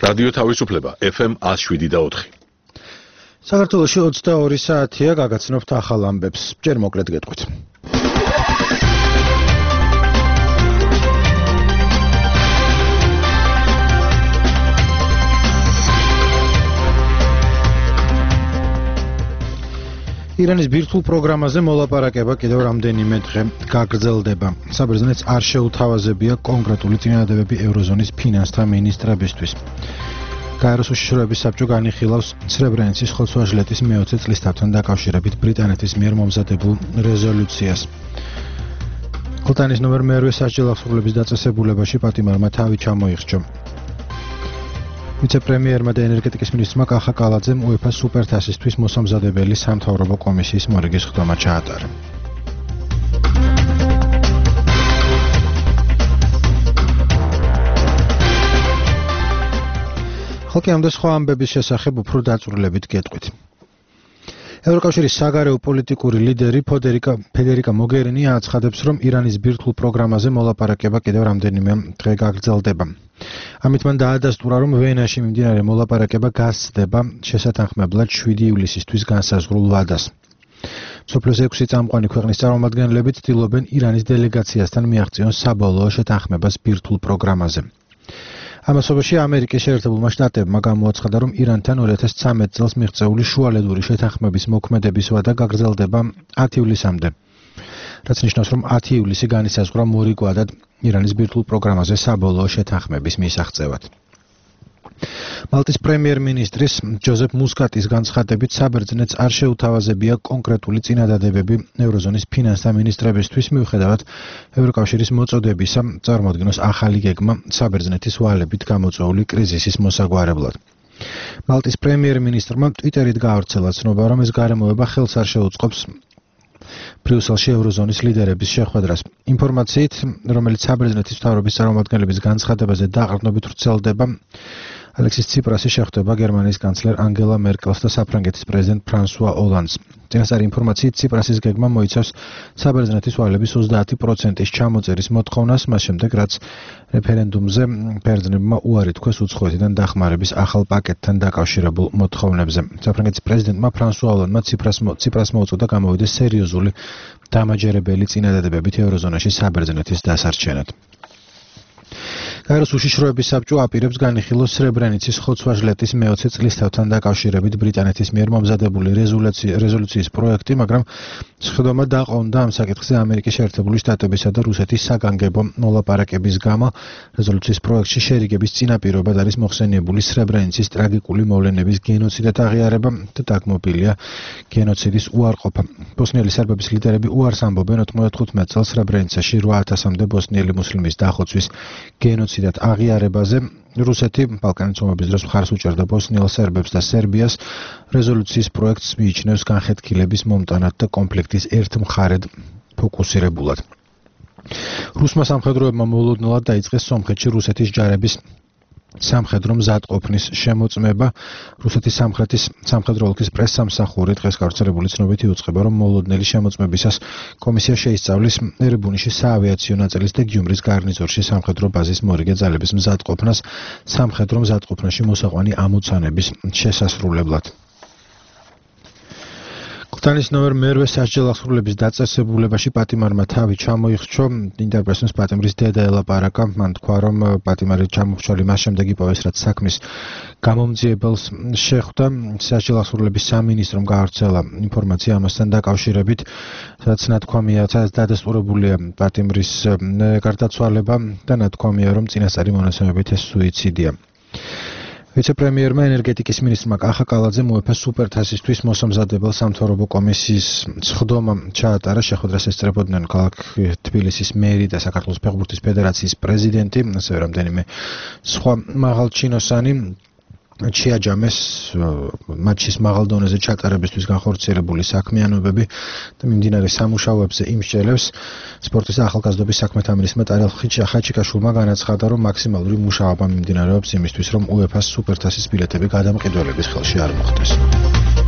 რადიო თავისუფლება FM 107.4. საქართველოში 22 საათია, გაგაცნობთ ახალ ამბებს. ჯერ მოკლედ გეტყვით. ირანის ბირთვულ პროგრამაზე მოლაპარაკება კიდევ რამდენიმე დღე გაგრძელდება. საბერძნეთს არ შეუთავაზებია კონკრეტული წინადადებები ევროზონის ფინანსთა მინისტრებისთვის. გაეროს უშიშროების საბჭო განიხილავს სრებრენიცის ხოცვა-ჟლეტის მე-20 წლისთავთან დაკავშირებით ბრიტანეთის მიერ მომზადებულ რეზოლუციას. ყლტანის ნომერ მე-8 სასჯელ აღსრულების დაწესებულებაში პატიმარმა თავი ჩამოიხჭა. ვიცე-პრემიერმა და ენერგეტიკის მინისტრმა კახა კალაძემ UEFA-ს სუპერთასისთვის მოსამზადებელი სამთავრობო კომისიის მორიგის ხდომა ჩაატარა. ხალხი ამ და სხვა ამბების შესახებ უფრო დაწვრილებით გეტყვით. ევროკავშირის საგარეო პოლიტიკური ლიდერი ფედერიკა მოგერინი აცხადებს, რომ ირანის ბირთვულ პროგრამაზე მოლაპარაკება კიდევ რამდენიმე დღე გაგრძელდება. ამით მან დაადასტურა, რომ ვენაში მიმდინარე მოლაპარაკება გასცდება შესათანხმებლად 7 ივლისისთვის განსაზღვრულ ვადას. მსოფლიოს 6 წამყვანი ქვეყნის წარმომადგენლები ცდილობენ ირანის დელეგაციასთან მიაღწიონ საბოლოო შეთანხმებას ბირთვულ პროგრამაზე. ამასობაში ამერიკის შეერთებულმა შტატებმა გამოაცხადა, რომ ირანთან 2013 წელს მიღწეული შუალედური შეთანხმების მოქმედების ვადა გაგრძელდება 10 ივლისამდე. რაც ნიშნავს, რომ 10 ივლისი განისაზღვრა მორიგვადად ირანის ბირთვულ პროგრამაზე საბოლოო შეთანხმების მისაღწევად. მალტის პრემიერ-მინისტრის ჯოზეფ მუსკატის განცხადებით, საბერძნეთს არ შეუთავაზებია კონკრეტული წინადადებები ევროზონის ფინანსთა მინისტრებისთვის, მიუხედავად ევროკავშირის მოწოდებისა წარმოადგინოს ახალი გეგმა საბერძნეთის ვალებით გამოწვეული კრიზისის მოსაგვარებლად. მალტის პრემიერ-მინისტრმა ტვიტერით გაავრცელა ცნობა, რომ ეს გარემოება ხელს არ შეუწყობს ბრიუსელში ევროზონის ლიდერების შეხვედრას. ინფორმაციით, რომელიც საბერძნეთის მთავრობის წარმომადგენლების განცხადებაზე დაყრდნობით ვრცელდება, ალექსის ციპრასი შეხვდება გერმანიის კანცლერ ანგელა მერკელს და საფრანგეთის პრეზიდენტ ფრანსუა ოლანდს. წინასწარი ინფორმაციით, ციპრასის გეგმა მოიცავს საბერძნეთის ვალების 30%-ის ჩამოწერის მოთხოვნას, მას შემდეგ, რაც რეფერენდუმზე ბერძნებმა უარი თქვეს უცხოეთიდან დახმარების ახალ პაკეტთან დაკავშირებულ მოთხოვნებზე. საფრანგეთის პრეზიდენტმა ფრანსუა ოლანდმა ციპრას მოუწოდა გამოვიდეს სერიოზული დამაჯერებელი წინადადებებით ევროზონაში საბერძნეთის დასარჩენად. გაეროს უშიშროების საბჭო აპირებს განიხილოს სრებრენიცის ხოცვა-ჟლეტის მე-20 წლისთავთან დაკავშირებით ბრიტანეთის მიერ მომზადებული რეზოლუციის პროექტი, მაგრამ სხდომა დაყონდა ამ საკითხზე ამერიკის შეერთებული შტატებისა და რუსეთის საგანგებო მოლაპარაკების გამო. რეზოლუციის პროექტში შერიგების წინაპირობად არის მოხსენიებული სრებრენიცის ტრაგიკული მოვლენების გენოციდად აღიარება და დაგმობილია გენოციდის უარყოფა. ბოსნიელი სერბების ლიდერები უარს ამბობენ 95 წელს სრებრენიცაში 8000-მდე ბოსნიელი მუსლიმის დახოცვის გენოციდად აღიარებაზე. რუსეთი ბალკანეთის ომების დროს მხარს უჭერდა ბოსნიელ სერბებს და სერბიას. რეზოლუციის პროექტს მიიჩნევს განხეთქილების მომტანად და კონფლიქტის ერთ მხარედ ფოკუსირებულად. რუსმა სამხედროებმა მოულოდნელად დაიწყეს სომხეთში რუსეთის ჯარების სამხედრო მზადყოფნის შემოწმება. რუსეთის სამხედრო ოლქის პრესსამსახური დღეს გავრცელებული ცნობით იუწყება, რომ მოულოდნელი შემოწმებისას კომისია შეისწავლის ერებუნიში საავიაციო ნაწილის და გიუმრის გარნიზორში სამხედრო ბაზის მორიგე ძალების მზადყოფნას სამხედრო მზადყოფნაში მოსაყვანი ამოცანების შესასრულებლად. ყლტანის ნომერ მე-8 სასჯელ აღსრულების დაწესებულებაში პატიმარმა თავი ჩამოიხჭო. ინტერპრესის პატიმრის დედა ელაპარაკა. მან თქვა, რომ პატიმარი ჩამოხჭოლი მას შემდეგ იპოვეს, რაც საქმის გამომძიებელს შეხვდა. სასჯელ აღსრულების სამინისტრომ გაავრცელა ინფორმაცია ამასთან დაკავშირებით, რაც ნათქვამია, დადასტურებულია პატიმრის გარდაცვალება და ნათქვამია, რომ წინასწარი მონაცემებით ეს სუიციდია. ვიცე-პრემიერმა ენერგეტიკის მინისტრმა კახა კალაძემ UEFA-ს სუპერთასისთვის მოსამზადებელ სამთავრობო კომისიის სხდომა ჩაატარა. შეხვედრას ესწრებოდნენ ქალაქ თბილისის მერი და საქართველოს ფეხბურთის ფედერაციის პრეზიდენტი, ასევე რამდენიმე სხვა მაღალჩინოსანი. შეაჯამეს მატჩის მაღალ დონეზე ჩატარებისთვის განხორციელებული საქმიანობები და მიმდინარე სამუშაოებზე იმსჯელებს. სპორტის და ახალგაზრდობის საქმეთა მინისტრმა ტარელ ხაჩიკაშვილმა განაცხადა, რომ მაქსიმალური მუშაობა მიმდინარეობს იმისთვის, რომ UEFA-ს სუპერთასის ბილეთები გადამყიდველების ხელში არ მოხდეს.